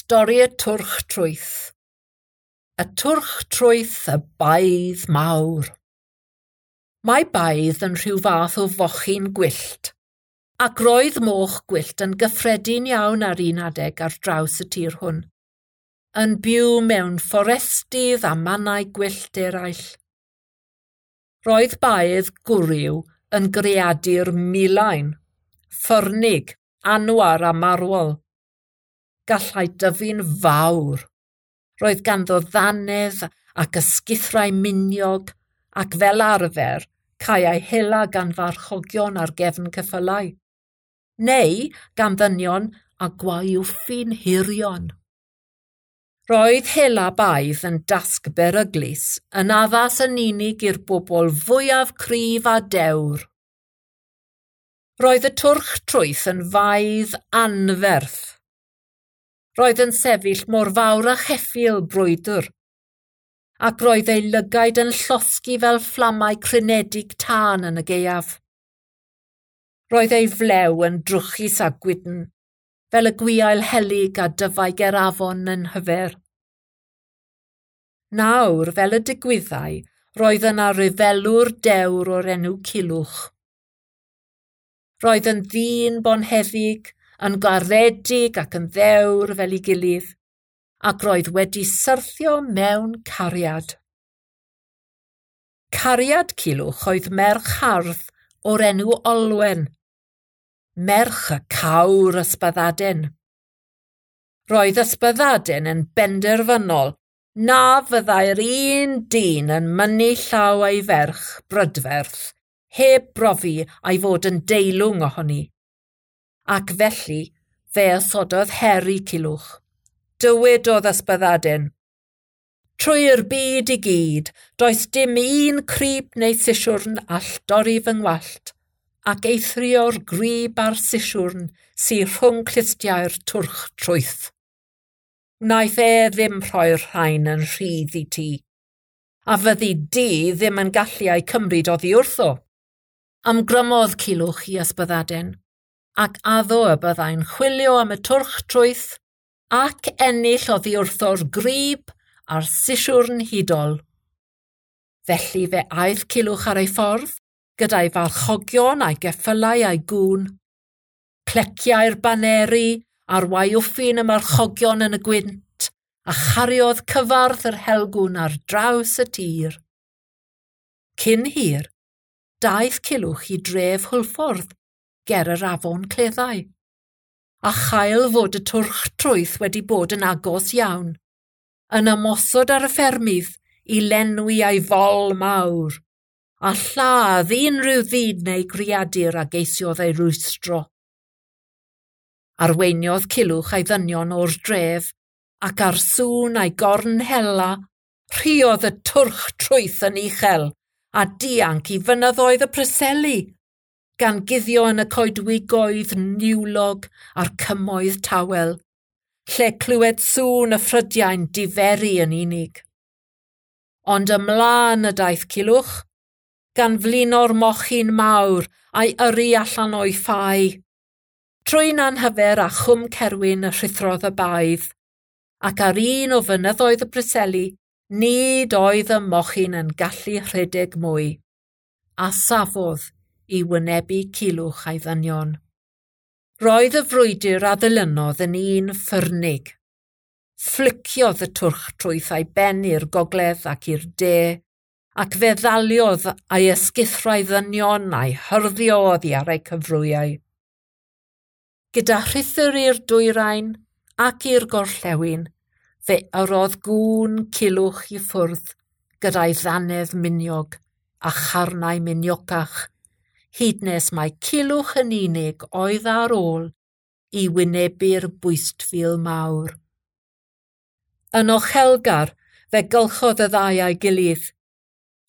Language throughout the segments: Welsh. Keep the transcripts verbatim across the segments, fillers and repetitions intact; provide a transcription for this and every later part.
Stori y twrch trwyth. Y twrch trwyth y baedd mawr. Mae baedd yn rhyw fath o fochyn gwyllt, ac roedd moch gwyllt yn gyffredin iawn ar un adeg ar draws y tir hwn, yn byw mewn fforestydd a mannau gwyllt eraill. Roedd baedd gwryw yn greadur milain, ffyrnig, anwar a marwol. Gallai dyfu'n fawr. Roedd ganddo ddannedd ac ysgithrau miniog ac fel arfer caeau hela gan farchogion ar gefn ceffylau, neu gan ddynion a gwaywffyn hirion. Roedd hela baedd yn dasg beryglus, yn addas yn unig i'r bobl fwyaf cryf a dewr. Roedd y twrch trwyth yn faedd anferth. Roedd yn sefyll mor fawr â cheffyl brwydr, ac roedd ei lygaid yn llosgi fel fflamau crynedig tân yn y gaeaf. Roedd ei flew yn drwchus a gwydn, fel y gwiail helyg a dyfai ger afon yn hyfer. Nawr, fel y digwyddai, roedd yna ryfelwr dewr o'r enw Culhwch. Roedd yn ddyn bonheddig, yn garedig ac yn ddewr fel ei gilydd, ac roedd wedi syrthio mewn cariad. Cariad Culhwch oedd merch hardd o'r enw Olwen, merch y cawr Ysbaddaden. Roedd Ysbaddaden yn benderfynol na fyddai'r un dyn yn mynnu llaw ei ferch brydferth heb brofi a'i fod yn deilwng ohoni. Ac felly fe osododd her i Culhwch. Dywedodd Ysbaddaden, "Trwy'r byd i gyd, does dim un crib neu sisiwrn all dorri fy ngwallt, ac eithrio'r grib a'r sisiwrn sy rhwng clustiau'r twrch trwyth. Wnaeth e ddim rhoi'r rhain yn rhydd i ti, a fyddi di ddim yn gallu eu cymryd oddi wrtho." Ymgrymodd Culhwch i Ysbaddaden, ac addo y byddai'n chwilio am y twrch trwyth ac ennill oddi wrtho'r grib a'r sisiwrn hudol. Felly fe aeth Culhwch ar ei ffordd, gyda'i farchogion a'i geffylau a'i gŵn. Cleciau'r baneri a'r waywffyn y marchogion yn y gwynt, a chariodd cyfarth yr helgwn ar draws y tir. Cyn hir, daeth Culhwch i dref Hwlffordd, ger yr afon Cleddau, a chael fod y twrch trwyth wedi bod yn agos iawn, yn ymosod ar y ffermydd i lenwi ei fol mawr, a lladd unrhyw ddyn neu greadur a geisiodd ei rwystro. Arweiniodd Culhwch a'i ddynion o'r dref, ac ar sŵn a'i gorn hela, rhuodd y twrch trwyth yn uchel a dianc i fynyddoedd y Preseli, gan guddio yn y coedwigoedd niwlog a'r cymoedd tawel, lle clywed sŵn y ffrydiau'n diferu yn unig. Ond ymlaen y daeth Culhwch, gan flino'r mochyn mawr a'i yrru allan o'i ffau. Trwy Nanhyfer a Chwm Cerwyn y rhuthrodd y baedd, ac ar un o fynyddoedd y Preseli, nid oedd y mochyn yn gallu rhedeg mwy, a safodd i wynebu Culhwch a'i ddynion. Roedd y frwydr a ddilynodd yn un ffyrnig. Ffliciodd y twrch trwyth a'i ben i'r gogledd ac i'r de, ac fe ddaliodd a'i ysgithrau ddynion a'i hyrddio oddi ar eu cyfrwyau. Gyda rhuthr i'r dwyrain ac i'r gorllewin, fe yrrodd gŵn Culhwch i ffwrdd gyda'i ddannedd miniog a charnau miniocach, hyd nes mai Culhwch yn unig oedd ar ôl i wynebu'r bwystfil mawr. Yn ochelgar, fe gylchodd y ddau a'i gilydd.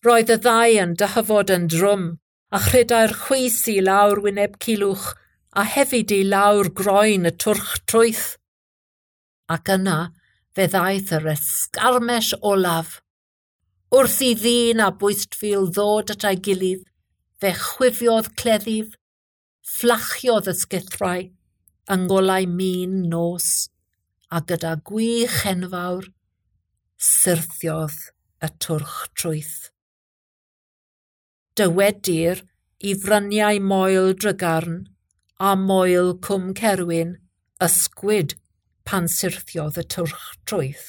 Roedd y ddau yn dyhyfod yn drwm, a chredai'r chwys i lawr wyneb Culhwch a hefyd i lawr groen y twrch trwyth. Ac yna fe ddaeth yr esgarmes olaf. Wrth i ddyn a bwystfil ddod at ei gilydd, fe chwifiodd cleddyf, fflachiodd ysgithrau, yng ngolau min nos, A gyda gwych enfawr, syrthiodd y twrch trwyth. Dywedir i fryniau Moel Drygarn a Moel Cwm Cerwyn ysgwyd pan syrthiodd y twrch trwyth.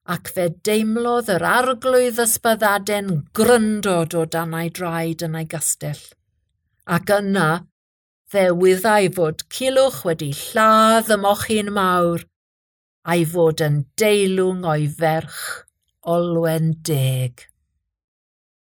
Ac fe deimlodd yr arglwydd Ysbyddaden gryndod o dan ei draed yn ei gastell. Ac yna, fe wyddai fod Culhwch wedi lladd y mochyn mawr, a'i fod yn deilwng o'i ferch Olwen Deg.